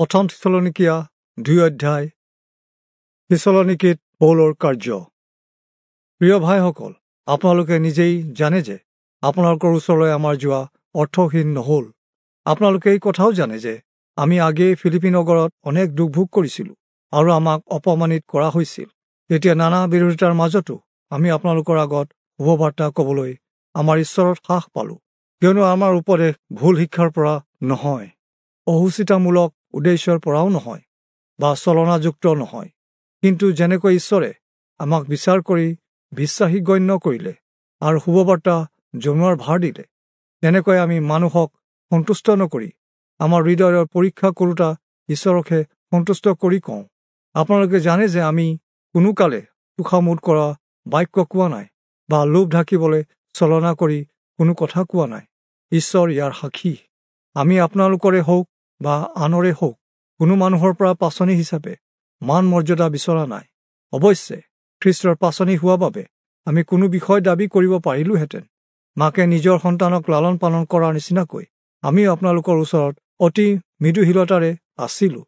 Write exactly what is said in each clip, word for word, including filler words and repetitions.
প্ৰথম থিচলনীকীয়া দুই অধ্যায়। থিচলনীকীত পৌলৰ কাৰ্য। প্ৰিয় ভাইসকল, আপোনালোকে নিজেই জানে যে আপোনালোকৰ ওচৰলৈ আমাৰ যোৱা অৰ্থহীন নহ'ল। আপোনালোকে এই কথাও জানে যে আমি আগেয়ে ফিলিপি নগৰত অনেক দুখ ভোগ কৰিছিলোঁ আৰু আমাক অপমানিত কৰা হৈছিল। তেতিয়া নানা বিৰোধিতাৰ মাজতো আমি আপোনালোকৰ আগত শুভবাৰ্তা ক'বলৈ আমাৰ ঈশ্বৰত সাহ পালোঁ, কিয়নো আমাৰ উপদেশ ভুল শিক্ষাৰ পৰা নহয়, অসুচিতামূলক উদ্দেশ্যৰ পৰাও নহয় বা চলনাযুক্ত নহয়, কিন্তু যেনেকৈ ঈশ্বৰে আমাক বিচাৰ কৰি বিশ্বাসী গণ্য কৰিলে আৰু শুভবাৰ্তা জনোৱাৰ ভাৰ দিলে, তেনেকৈ আমি মানুহক সন্তুষ্ট নকৰি আমাৰ হৃদয়ৰ পৰীক্ষা কৰোঁতা ঈশ্বৰকহে সন্তুষ্ট কৰি কওঁ। আপোনালোকে জানে যে আমি কোনোকালে তোষামোদ কৰা বাক্য কোৱা নাই বা লোভ ঢাকিবলৈ চলনা কৰি কোনো কথা কোৱা নাই। ঈশ্বৰ ইয়াৰ সাক্ষী। আমি আপোনালোকৰে হওক বা আনৰে হওক কোনো মানুহৰ পৰা পাচনি হিচাপে মান মৰ্যাদা বিচৰা নাই। অৱশ্যে খ্ৰীষ্টৰ পাচনি হোৱা বাবে আমি কোনো বিষয় দাবী কৰিব পাৰিলোহেঁতেন। মাকে নিজৰ সন্তানক লালন পালন কৰাৰ নিচিনাকৈ আমিও আপোনালোকৰ ওচৰত অতি মৃদুশীলতাৰে আছিলোঁ।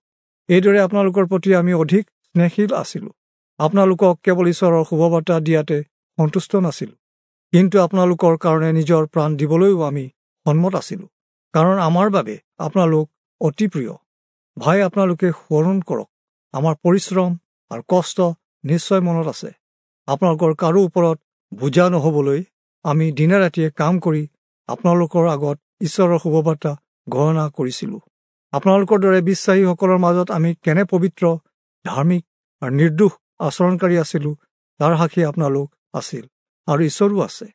এইদৰে আপোনালোকৰ প্ৰতি আমি অধিক স্নেহশীল আছিলোঁ। আপোনালোকক কেৱল ঈশ্বৰৰ শুভবাৰ্তা দিয়াতে সন্তুষ্ট নাছিলোঁ, কিন্তু আপোনালোকৰ কাৰণে নিজৰ প্ৰাণ দিবলৈও আমি সন্মত আছিলোঁ, কাৰণ আমাৰ বাবে আপোনালোক অতি প্ৰিয়। ভাই, আপোনালোকে সোঁৱৰণ কৰক, আমাৰ পৰিশ্ৰম আৰু কষ্ট নিশ্চয় মনত আছে। আপোনালোকৰ কাৰো ওপৰত বোজা নহ'বলৈ আমি দিনে ৰাতিয়ে কাম কৰি আপোনালোকৰ আগত ঈশ্বৰৰ শুভবাৰ্তা গণনা কৰিছিলোঁ। আপোনালোকৰ দৰে বিশ্বাসীসকলৰ মাজত আমি কেনে পবিত্ৰ, ধাৰ্মিক আৰু নিৰ্দোষ আচৰণকাৰী আছিলোঁ, তাৰ সাক্ষী আপোনালোক আছিল আৰু ঈশ্বৰো আছে।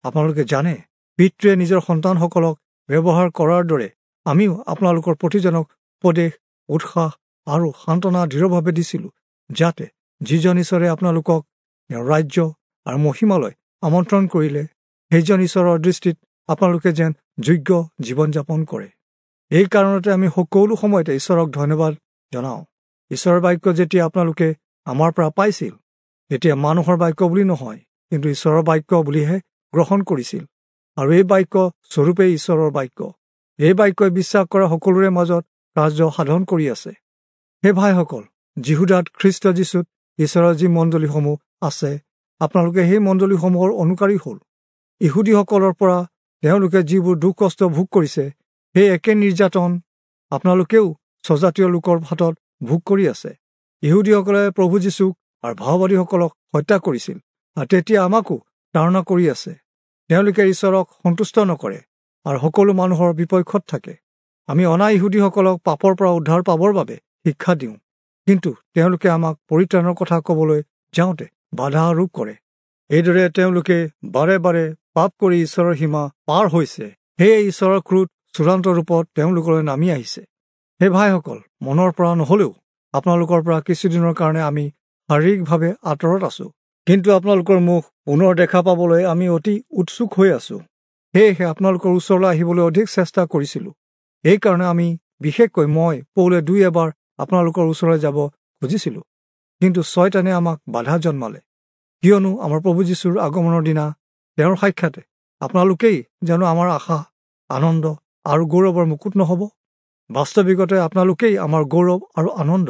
আপোনালোকে জানে, পিতৃয়ে নিজৰ সন্তানসকলক ব্যৱহাৰ কৰাৰ দৰে আমিও আপোনালোকৰ প্ৰতিজনক উপদেশ, উৎসাহ আৰু সান্তনা দৃঢ়ভাৱে দিছিলোঁ, যাতে যিজন ঈশ্বৰে আপোনালোকক তেওঁৰ ৰাজ্য আৰু মহিমালৈ আমন্ত্ৰণ কৰিলে, সেইজন ঈশ্বৰৰ দৃষ্টিত আপোনালোকে যেন যোগ্য জীৱন যাপন কৰে। এই কাৰণতে আমি সকলো সময়তে ঈশ্বৰক ধন্যবাদ জনাওঁ। ঈশ্বৰৰ বাক্য যেতিয়া আপোনালোকে আমাৰ পৰা পাইছিল, তেতিয়া মানুহৰ বাক্য বুলি নহয়, কিন্তু ঈশ্বৰৰ বাক্য বুলিহে গ্ৰহণ কৰিছিল, আৰু এই বাক্য স্বৰূপেই ঈশ্বৰৰ বাক্য। এই বাক্যই বিশ্বাস কৰা সকলোৰে মাজত কাৰ্য সাধন কৰি আছে। হে ভাইসকল, যিহূদাত খ্ৰীষ্ট যীশুত ঈশ্বৰৰ যি মণ্ডলীসমূহ আছে, আপোনালোকে সেই মণ্ডলীসমূহৰ অনুকাৰী হ'ল। ইহুদীসকলৰ পৰা তেওঁলোকে যিবোৰ দুখ কষ্ট ভোগ কৰিছে, সেই একে নিৰ্যাতন আপোনালোকেও স্বজাতীয় লোকৰ হাতত ভোগ কৰি আছে। ইহুদীসকলে প্ৰভু যীশুক আৰু ভাওবাদীসকলক হত্যা কৰিছিল আৰু তেতিয়া আমাকো তাড়না কৰি আছে। তেওঁলোকে ঈশ্বৰক সন্তুষ্ট নকৰে আৰু সকলো মানুহৰ বিপক্ষত থাকে। আমি অনা ইহুদীসকলক পাপৰ পৰা উদ্ধাৰ পাবৰ বাবে শিক্ষা দিওঁ, কিন্তু তেওঁলোকে আমাক পৰিত্ৰাণৰ কথা ক'বলৈ যাওঁতে বাধা আৰোপ কৰে। এইদৰে তেওঁলোকে বাৰে বাৰে পাপ কৰি ঈশ্বৰৰ সীমা পাৰ হৈছে। সেয়ে ঈশ্বৰৰ ক্ৰোধ চূড়ান্ত ৰূপত তেওঁলোকলৈ নামি আহিছে। হে ভাইসকল, মনৰ পৰা নহ'লেও আপোনালোকৰ পৰা কিছুদিনৰ কাৰণে আমি শাৰীৰিকভাৱে আঁতৰত আছোঁ, কিন্তু আপোনালোকৰ মুখ পুনৰ দেখা পাবলৈ আমি অতি উৎসুক হৈ আছোঁ। সেয়েহে আপোনালোকৰ ওচৰলৈ আহিবলৈ অধিক চেষ্টা কৰিছিলোঁ। এইকাৰণে আমি বিশেষকৈ মই পৌলে দুই এবাৰ আপোনালোকৰ ওচৰলৈ যাব খুজিছিলোঁ, কিন্তু ছয়তানে আমাক বাধা জন্মালে। কিয়নো আমাৰ প্ৰভু যীশুৰ আগমনৰ দিনা তেওঁৰ সাক্ষাতে আপোনালোকেই জানো আমাৰ আশা, আনন্দ আৰু গৌৰৱৰ মুকুট নহ'ব? বাস্তৱিকতে আপোনালোকেই আমাৰ গৌৰৱ আৰু আনন্দ।